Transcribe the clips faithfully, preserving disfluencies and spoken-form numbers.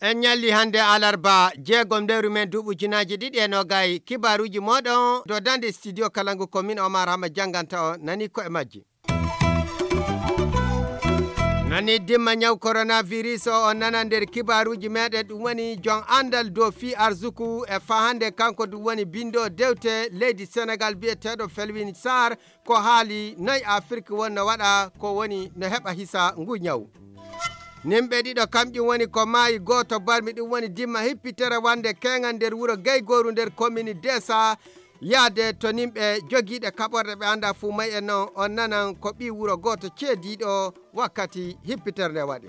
En ñalli hannde alarba jeegom lewru men duuɓi ujunaaji ɗiɗi e noogay. Kibaaruuji mooɗon dodande studio Kalangu ko min Omar Hama jannganta on, nani ko e majji. Nani dimma ñaw coronavirus o on nana nder kibaaruuji meɗen, ɗum woni jon anndal dow fii arsuku e faa hannde kanko ɗum woni binndo dewte leydi Senegal biyeteeɗo Felwine Sarr, ko haali noy Afirki wonno waɗa ko woni no heɓa hisa ngu ñaw. Nimɓe ɗiɗo kamƴum woni ko maayi, gooto barmi ɗum woni dimma hippitere wannde keeŋan nder wuro Gaygooru nder komini Desa, yaade to nimɓe jogiiɗe kaɓorɗe ɓe annda fuu may en non on nanan ko ɓii wuro gooto ceediiɗo wakkati hippitere nde waɗi.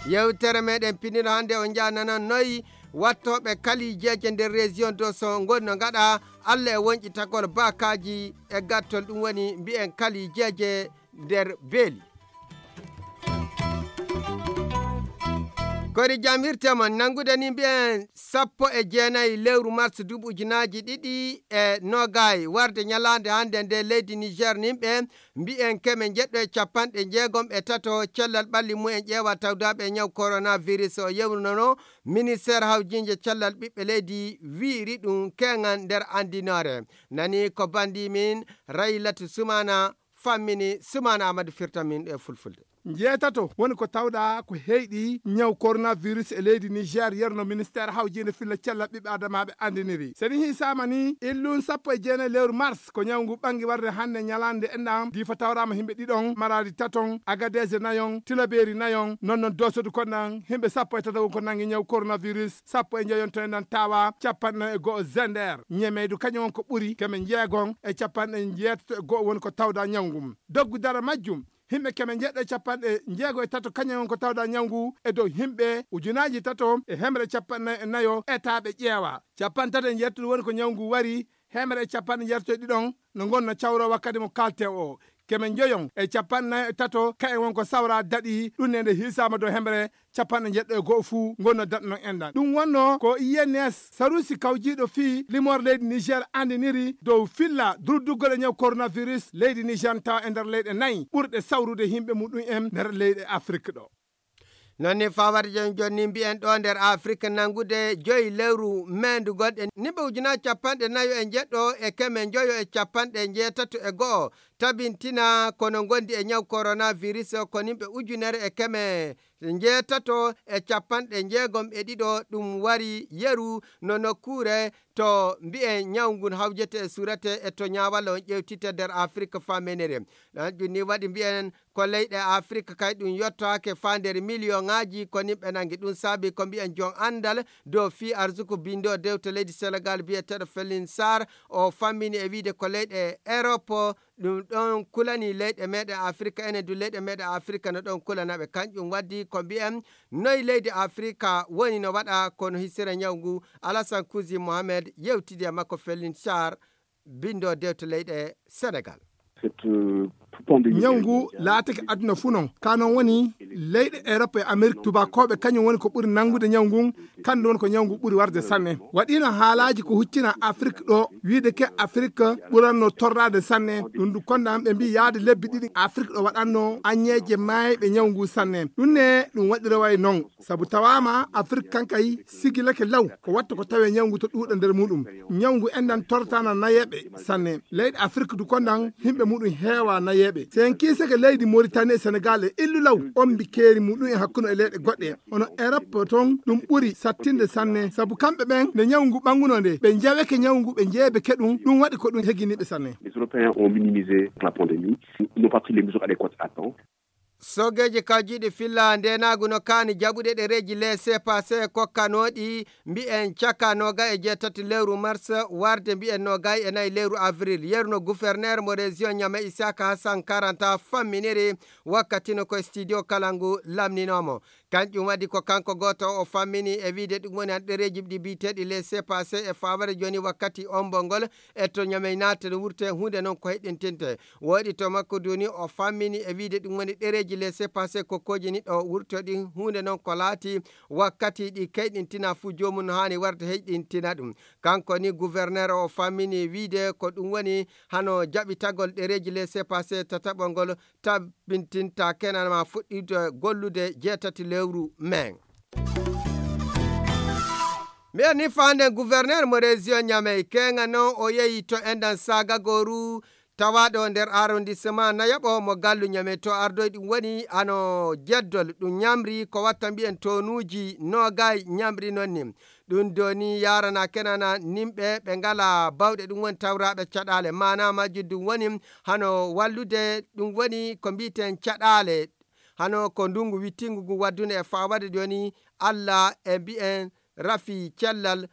Yewtere meɗen pinino hannde on njaa nanan noy wattooɓe kalijeeje nder région do so ngonno ngaɗa Allah e wonƴitagol baakaaji e gattol ɗum woni mbi'en kalijeeje nder beeli. Kori jam hirte mon nanngude ni mbi'en sappo e jeenayi lewru mars duuɓi ujunaaji ɗiɗi e noogay warde ñalaande hannde nde leydi Niger nimɓe mbi'en keme njeɗɗo e capanɗe jeegom e tato cellal ɓalli mumen ƴeewa tawdaaɓe e ñaw coronavirus o yewrunono ministère hawjiinde cellal ɓiɓɓe leydi wiiri ɗum keeŋan nder anndinoore. Nani ko banndi min Raylatu Sumana fammini Sumana Amadou firta min e fulfulde. Njeetato woni ko tawɗaa ko heyɗi ñaw coronavirus e leydi Niger yerno ministère hawjiinde filla cellal ɓiɓɓe adamaaɓe anndiniri. So ɗi hiisaama ni, illun sappo e jeenayi lewru mars ko ñaw ngu ɓangi warde hannde ñalaande enɗam diifa tawraama himɓe ɗiɗon, maraadi taton, agadeese nayon, tilabeeri nayon, non non dosodu konɗan himɓe sappo e tato won ko nangi ñaw coronavirus, sappo e njeyon to enɗan tawa, capanɗe nayo e go'o zender, ñemeydu kañum won ko ɓuri keme njeegon e capanɗe njeetato e go'o woni ko tawda ñaw ngun. Doggu dara majjum, himɓe keme njeɗɗo e capanɗe jeego e tato kañum won ko tawda ñaw ngu e dow himɓe ujunaaji tato e hemre capanɗe nayo e nayo etaaɓe ƴeewa. Capanɗe tato e njeetato woni ko ñaw ngu wari, hemre e capanɗe njeetato e ɗiɗon no ngonno cawro wakkati mo kalte o. Keme njoyon e capanɗe nayo e tato kayen won ko sawra daɗi ɗum ne nde hiisaama dow hemre capanɗe njeɗɗo e go'o fuu ngonno daɗno enɗan. Ɗum wonno ko I N S Sarusi kawjiiɗo fii limoor leydi Niger anndiniri dow filla durduggol e ñaw coronavirus leydi Niger tawa e nder leyɗe nayi ɓurɗe sawrude himɓe muɗum en nder leyɗe Afrik ɗo. Non ni fawade jon jonni mbi'en ɗo nder Afrik nanngude joyi lewru meendu gonɗe nimɓe ujunaaji capanɗe nayo e njeɗɗo e keme njoyo e capanɗe njeetato e go'o tabintina kono ngondi e ñaw coronavirus o ko nimɓe ujunere e keme njeetato e capanɗe njeegom e ɗiɗo ɗum wari yeru no nokkuure to mbi'en ñaw ngun hawjete e surete e to ñaawalla on ƴewtite nder Afrik famenere. Ɗan ɗum ni waɗi mbi'en ko leyɗe Afrik kay ɗum yottoake faa nder miliyoŋaaji ko nimɓe nangi. Ɗum saabi ko mbi'en jon anndal dow fii arsuku bindo dewte leydi Senegal biyeteeɗo Felin Sarr o fammini e wiide ko leyɗe Erop ɗum ɗon kulani leyɗe meɗen Afrik, enen du leyɗe meɗen Afrik no ɗon kulana ɓe. Kanƴum waddi ko mbi'en noy leydi Afrik woni no waɗa kono hisira ñaw ngu. Alasan Kuzi Mohamed yewtidi e makko Felin Sarr bindo dewte leyɗe Senegal. Cette euh, pandémie ñaw ngu laatake aduna fuu non ka non woni leyɗe Europe e Amérique tubakooɓe kañum woni ko ɓuri nanngude ñaw ngun. Kanɗum woni ko ñaw ngu ɓuri warde sanne. Waɗiino haalaaji ko huccina Afrik ɗo wiide ke Afrik ɓuranno torraade sanne. Ɗum du konɗan ɓe mbii yaade lebbi ɗiɗi Afrik ɗo waɗanno aññeeje maayɓe ñaw ngu sanne. Ɗum ne ɗum waɗiroway non sabu tawaama Afrik kankay sigilake law ko watta ko tawee ñaw ngu to ɗuuɗa nder muɗum. Ñaw ngu enɗan tortana nayeeɓe sanne. Leyɗe Afrik du konɗan himɓe muɗum heewa nayeeɓe. So en kiisake leydi Moritani e Senegal e illu law ombi keeri muɗum e hakkunde e leyɗe goɗɗe hono Europe ton ɗum ɓuri sattinde sanne sabu kamɓe ɓen nde ñaw ngu ɓanngunoo nde ɓe njaweke ñaw ngu ɓe njeebeke ɗum. Ɗum waɗi ko ɗum heginiɓe sanne. Les Européens ont minimisé la pandémie, n'ont pas pris les mesures adéquates à temps. Sogeeji kawjiiɗi filla ndeenaagu no kaani jaɓude ɗereeji laissez-passer kokkanooɗi mbi'en caka nooga e jeetati lewru mars warde mbi'en nooga e nayi lewru avril. Yerno guferneer mo région Ñame Isaka Hassan Karanta famminiri wakkati no ko studio kala ngu lamninoomo. Kanƴum waɗi ko kanko gooto o fammini e wiyde ɗum woni han ɗereeji ɗi biyeteeɗi les C P A C e fawaade jooni wakkati ombo ngol e to Ñamey naate no wurte huunde noon ko heɗɗintinte. Woɗi to makko duuni o fammini e wiyde ɗum woni ɗereeji les C P A C ko kooji ni ɗo wurto ɗi huunde noon ko laati wakkati ɗi keyɗintina fuu joomum no haani warde heyɗintina ɗum. Kanko ni gouverneur o fammini wiyde ko ɗum woni hano jaɓitagol ɗereeji les C P A C tataɓol ngol tabintinta kenan ma fuɗɗiido gollude jeetati lewru men. Mbiyen ni faanden gouverneur mo région Niamey, keŋa noon o yehi to enɗan Saagagoru, tawaaɗo nder arrondissement nayaɓo mo gallu Niamey. To ardoy ɗum woni ano jeddol ɗum ñamri ko watta mbiyen tonuuji noogay ñamri noon ni. Ɗum doni yarana kenana nimɓe ɓe ngala bawɗe ɗum woni tawraaɓe caɗaale. Maana majjum ɗum woni hano wallude ɗum woni ko mbiten caɗaale. Hano ko ndungu wittingu ngu waddunde e fawade joni Allah e mbiyen rafi cellal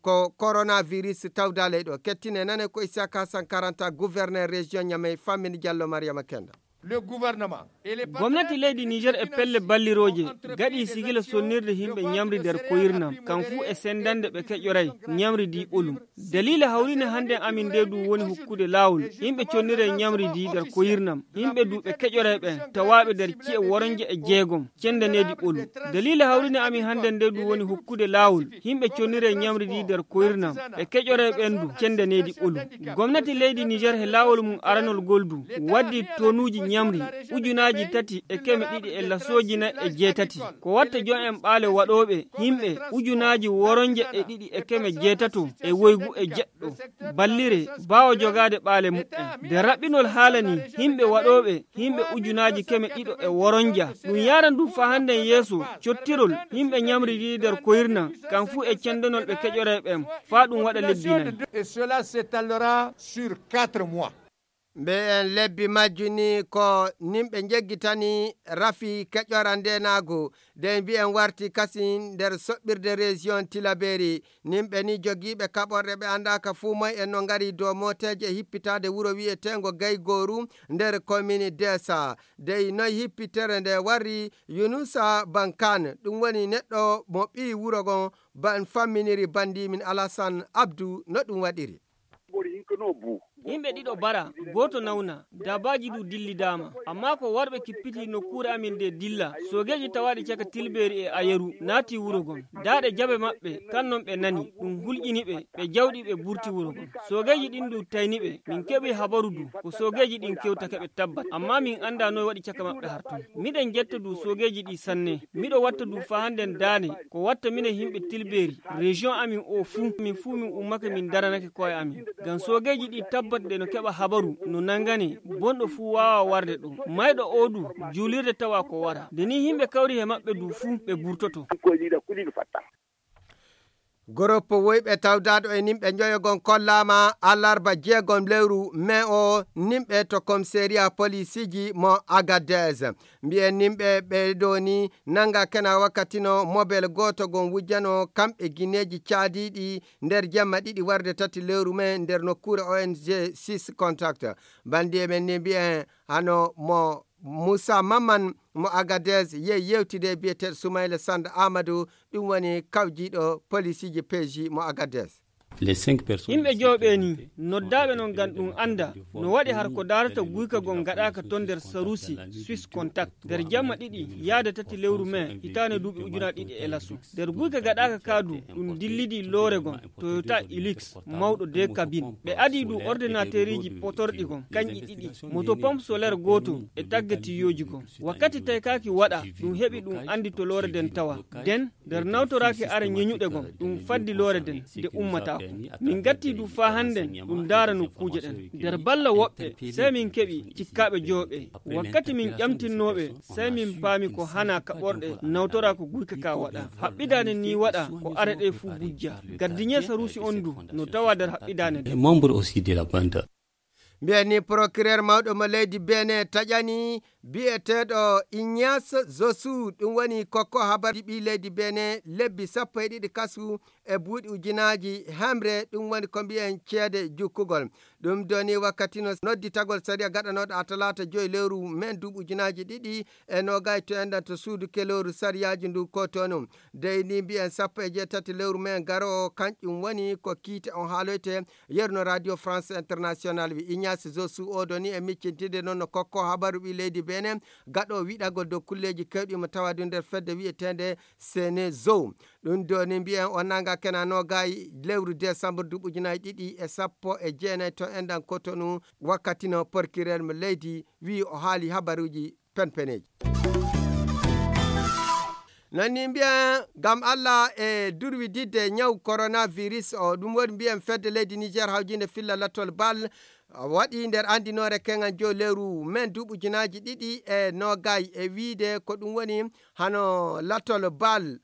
ko coronavirus tawda ley ɗo. Kettine nane ko Isaka Sankaranta, gouverneur région Niamey, fammini Diallo Mariama Kenda. Le gouvernement et les Gomnati leydi Niger e pelle ballirooje gaɗi sigila sonnirde yimɓe ñamri nder koyirnam, kam fuu e sendande ɓe keƴoray ñamri di ɓolum. Dalila hawrine hannde amin nde du woni hokkude laawol yimɓe connire ñamri di nder koyirnam, yimɓe du ɓe keƴoray ɓen tawaaɓe nder ci'e woronje e jeegom cendaneedi ɓolum. Dalila hawrine amin hannde nde du woni hokkude laawol yimɓe connire ñamri di nder koyirnam, ɓe keƴoray ɓen du cendaneedi ɓolum. Gomnati leydi Niger he laawol mum aranol ngol du waddi tonuuji ñamri ujunaaji tati e keme ɗiɗi e lasooji nay e jeetati. Ko watta jon en ɓaale waɗooɓe yimɓe ujunaaji woronje e ɗiɗi e keme jeetato e woygu e jeɗɗo ballire baawo jogaade ɓaale muɓɓen. Nde raɓɓinol haala ni yimɓe waɗooɓe yimɓe ujunaaji keme ɗiɗo e woronja. Ɗum yaran du faa hannden yeeso cottirol yimɓe ñamri di nder koyirna, kam fuu e cendanol ɓe keƴoray ɓen, faa ɗum waɗa lebbi nay. Et cela s'étalera sur quatre mois. Mbiyen lebbi majju ni ko nimɓe njeggitani rafi keƴora ndenaagu, de mbiyen warti kasi nder soɓɓirde région Tilaberi. Nimɓe ni jogiiɓe kaɓorɗe ɓe anndaaka fuu moy en no ngari dow mooteeje e hippitaade wuro wiyeteengo Gaygoru nder commune Desa. Dey noy hippitere nde warri Yunusa Bankan, ɗum woni neɗɗo mo ɓii wuro ngon ban famminiri banndi min Alasan Abdu no ɗum waɗiri. Yimɓe ɗiɗo bara, gooto nawna, daabaaji du dillidaama. Ammaa ko warɓe kippiti nokkuure amin nde dilla, soogeeji tawaaɗi caka Tilbeeri e Ayeru naati wuro ngon. Daaɗe jabe maɓɓe, kan non ɓe nani, ɗum hulƴini ɓe, ɓe jawɗi ɓe burti wuro ngon. Soogeeji ɗin du tayni ɓe, min keɓi habaru du, ko soogeeji ɗin kewtake ɓe tabbat. Ammaa min anndaa noy waɗi caka maɓɓe har ton. Miɗen jetta du soogeeji ɗi sanne. Miɗo watta du faa hannden daane, ko watta minen yimɓe Tilbeeri, région amin o fuu, min fuu min ummake min daranake ko'e amin. Ngam soogeeji ɗi tabbat de no keɓa habaru, no nangane, bonɗo fuu waawa warde ɗo. Mayɗo o du, juulirde tawa ko wara. Nde ni yimɓe kawri he maɓɓe du fuu, ɓe burtoto. Goroppo woyɓe tawdaaɗo e nimɓe njoyo gon kollaama alarba jeegom lewru mai o nimɓe to komisariya polisiiji mo Agadez. Mbiyen nimɓe ɓe ɗo ni nanga kena wakkati no mobel gooto gon wujjano kamɓe gineeji caadiiɗi nder jemma ɗiɗi warde tati lewru mai nder nokkuure O N G six Contact. Banndi e men ni mbiyen hano mo Moussa Maman mo Agadez yehi yewtide e biyeteeɗo Soumaïla Sanda Amadou, ɗum woni kawjiiɗo polisiiji P J mo Agadez. Yimɓe joyo ɓe ni, noddaaɓe non ngam ɗum annda no waɗi har ko daarata guyka gon gaɗaaka ton nder Sarusi, Swiss Contact, nder jamma ɗiɗi yaade tati lewru mai hitaande duuɓi ujunaaji ɗiɗi e laso. Nder guyka gaɗaaka ka du, ɗum dillidi loore gon, Toyota Hilux, mawɗo deux cabines. Ɓe adii du ordinateeriji potorɗi gon, kanƴi ɗiɗi, moto pompe solaire gooto e tagga tiyyooji gon. Wakkati taykaaki waɗa, ɗum heɓi ɗum anndi to loore nden tawa. Nden, nder nawtoraaki are ñeñuɗe gon, ɗum faddi loore nden, nde ummataako. Min ngattii du faa hannden, ɗum ndaara nokkuuje ɗen. Nder balla woɓɓe, sey min keɓi cikkaaɓe joyo ɓe. Wakkati min ƴamtinnoo ɓe, sey min paami ko hanaa kaɓorɗe nawtoraa ko guyka ka waɗa. Haɓɓidaande nii waɗa ko are ɗe fuu bujja. Gardiñee Saruusi on du no tawaa nder haɓɓidaande nden. Membre aussi de la bande. Mbiyen ni procureur mawɗo mo leydi Benin taƴani biyeteeɗo Ignace Zosu, ɗum woni kokko habarji ɓii leydi Benin lebbi sappo e ɗiɗi kasu e buuɗi ujunaaji hemre, ɗum woni ko mbiyen ceede jukkugol. Ɗum doni wakkati no nodditagol sariya gaɗanooɗo a talaata joyi lewru men duuɓi ujunaaji ɗiɗi e noogay to enɗan to suudu kelooru sariyaaji ndu kotonu. Dey ni mbiyen sappo e jeetati lewru men garoowo, kanƴum woni ko kiite on haaloyte. Yeru no Radio France International wi Ignace Zosu o doni e miccintinde noon no kokko habaru ɓii leydi Benin gaɗo wiɗagol dow kulleeji kewɗi mo tawa ɗum nder fedde wiyeteende Senezo. Ɗum doni mbiyen o nanga kena noogay lewru décembre duuɓi ujunaaji ɗiɗi e sappo e jeenayi to enɗan kotonu, wakkati no porkirel mo leydi wi o haali habaruuji penpeneeji. Nani mbiyen ngam Allah e durwididde ñaw coronavirus o, ɗum woni mbiyen fedde leydi Niger hawjinde filla lattol bal waɗi nder andinoore keŋal jow lewru men duuɓi ujunaaji ɗiɗi e noogay e wiide ko ɗum woni hano lattol bal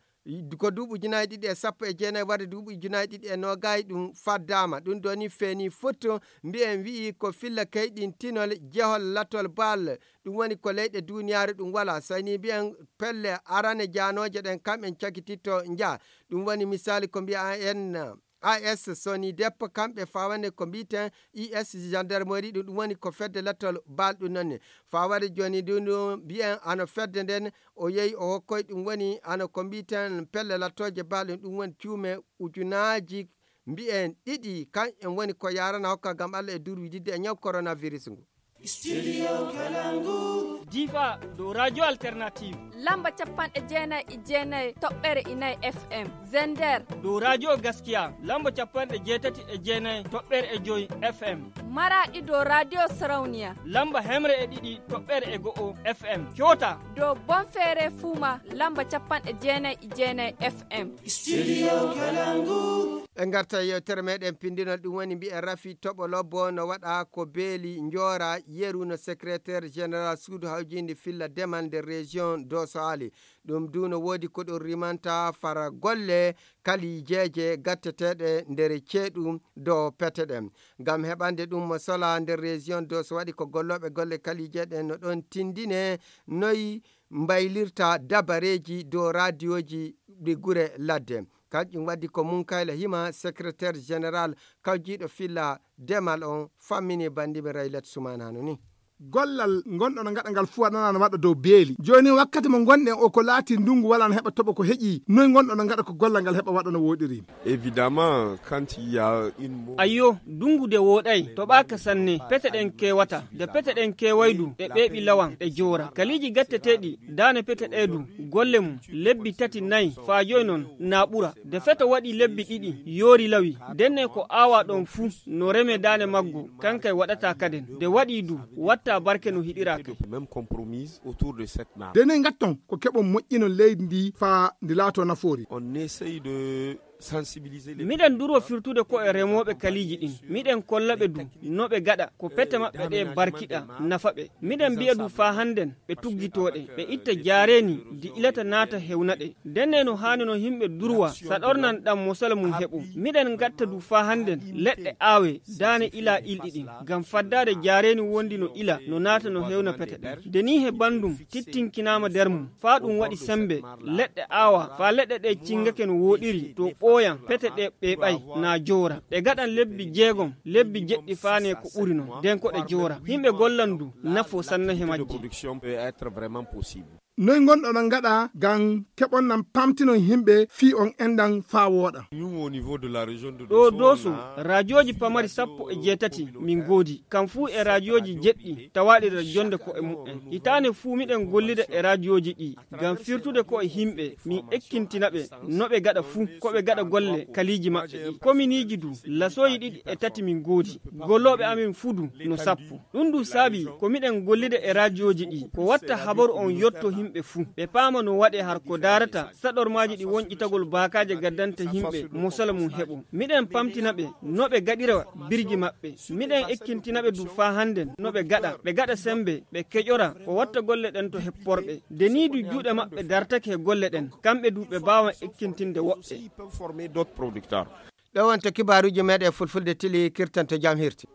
ko duuɓi ujunaaji ɗiɗi e sappo e jeenayi warde duuɓi ujunaaji ɗiɗi e noogay ɗum faddaama. Ɗum doni feeni foto mbiyen wi'i ko filla kayɗintinol jehol lattol bal, ɗum woni ko leyɗe duuniyaaru ɗum wala. Sayni mbiyen pelle arane jaanooje ɗen kam en cakititto njaa. Ɗum woni misaali ko mbiya en A S Sony Dep, kamɓe fawande ko mbiten I S gendarmerie ɗum, ɗum woni ko fedde lattol bal ɗum nonni. Fawade joni ɗum ɗum mbiyen ano fedde nden o yehi o hokkoy ɗum woni ano ko mbiten pelle lattooje bal ɗum, ɗum woni cuume ujunaaji mbiyen ɗiɗi kan en woni ko yarana hokka ngam Allah e durwididde e ñaw coronavirus ngu. Studio Kalangu. Difa dow Radio Alternative. Lamba capanɗe jeenayi e jeenayi toɓɓere inayi F M. Zender. Dow Radio Gaskiya. Lamba capanɗe jeetati e jeenayi toɓɓere e joyi F M. Maraɗi dow Radio Sarauniya. Lamba hemre e ɗiɗi toɓɓere e go'o F M. Coota. Dow Bonfere Fuma. Lamba capanɗe jeenayi e jeenayi F M. Studio Kalangu. En ngarta e yewtere meɗen pindinol, ɗum woni mbi'en rafi toɓo lobbo no waɗa ko beeli njoora yeru no secrétaire général suudu hawjinde filla demal nder région Doso Ali. Ɗum du no woodi ko ɗum rimanta fara golle kalijeeje gatteteeɗe nder ceeɗu dow pete ɗen. Ngam heɓande ɗum mo sola nder région Doso waɗi ko gollooɓe golle kalije ɗen no ɗon tindine noy mbaylirta dabareeji dow raadiyoji ɗi gure ladde. Kanƴum waddi ko Munkayla Hima, secrétaire général kawjiiɗo filla demal on, fammini bandiɓe Raylet Sumanano ni. Gollal ngonɗo no ngaɗa ngal fuu waɗana no waɗa dow beeli. Jooni wakkati mo ngonɗen o ko laati ndungu wala no heɓa toɓo ko heƴi. Noy ngonɗo no ngaɗa ko gollal ngal heɓa waɗa no woɗiri? Évidemment, quand il y a une mo- Ayyo, dungu de woɗay, toɓaka sanne, pete ɗen kewata. De pete ɗen kewaydu, ɗe ɓeeɓi lawan, ɗe joora. Kaliji gatteteɗi, dane pete ɗe du, golle mum, lebbi tati nayi, faa joyi non, na ɓura. De feto waɗi lebbi ɗiɗi, yoori lawi. Denne ko aawa ɗon fuu, no reme dane maggo, kankay waɗata kaden. De waɗi du, watta barke no hiɗira kay. Même compromise autour de cette nappe. De noy ngatton, ko keɓon moƴƴinon leydi ndi faa ndi laato nafoori. On essaye de sensibiliser les Miɗen durwa firtude ko e remooɓe kaliiji ɗin. Miɗen kolla ɓe du, no ɓe gaɗa, ko pete maɓɓe ɗe barkiɗa, nafa ɓe. Miɗen mbi'a du faa hannden, ɓe tuggitoo ɗe, ɓe itta jaareeni, di ilata naata hewna ɗe. Denne no haani no yimɓe durwa, saɗornan ɗam mosala mum heɓo. Miɗen ngatta du faa hannden, leɗɗe aawe, daane ila ilɗi ɗin, ngam faddaade jaareeni wondi no ila, no naata no hewna pete ɗen. De ni he banndum, tittinkinaama der mum, faa ɗum waɗi sembe, leɗɗe aawa, faa leɗɗe ɗe cingake no wooɗiri, to ɓooyan, pete ɗe ɓeeɓay, na joora. Ɗe gaɗan lebbi jeegom, lebbi jeɗɗi faane ko ɓuri non, den ko ɗe joora. Yimɓe gollan du, nafo sanne he majji. Production peut être vraiment possible. Noy ngonɗon on ngaɗa ngam keɓon nan pamtinon yimɓe fii on enɗan faa wooɗa? Nous, au niveau de la région de Ɗo Dosso, Doso, on a raadiooji pamari sappo e jeetati min ngoodi, kam fuu e raadiooji jeɗɗi tawaaɗi nder jonnde ko'e mu'en. Hitaande fuu miɗen gollida e raadiooji ɗi ngam firtude ko'e yimɓe, min ekkintina ɓe no ɓe gaɗa fuu, ko ɓe gaɗa golle kaliiji maɓɓe ɗi. Kominiiji du, lasooji ɗiɗi e tati min ngoodi. Gollooɓe amin fuu du no sappo. Ɗum du saabi ko miɗen gollida e raadiooji ɗi, ko watta habaru on yotto yimɓe fuu. Ɓe paama no waɗe har ko daarata saɗormaaji ɗi wonƴitagol baakaaje gaddanta yimɓe mosala mum heɓo. Miɗen pamtina ɓe no ɓe gaɗira birji maɓɓe. Miɗen ekkintina ɓe du faa hannden no ɓe gaɗa, ɓe gaɗa sembe, ɓe keƴora ko watta golle ɗen to hepporɓe. De nii du juuɗe maɓɓe dartake he golle ɗen, kamɓe du ɓe baawan ekkintinde woɓɓe. Aussi, ils peuvent former d'autres producteurs. Ɗo wonto kibaaruuji meɗen fulfulde tili kirtanto jam hirti.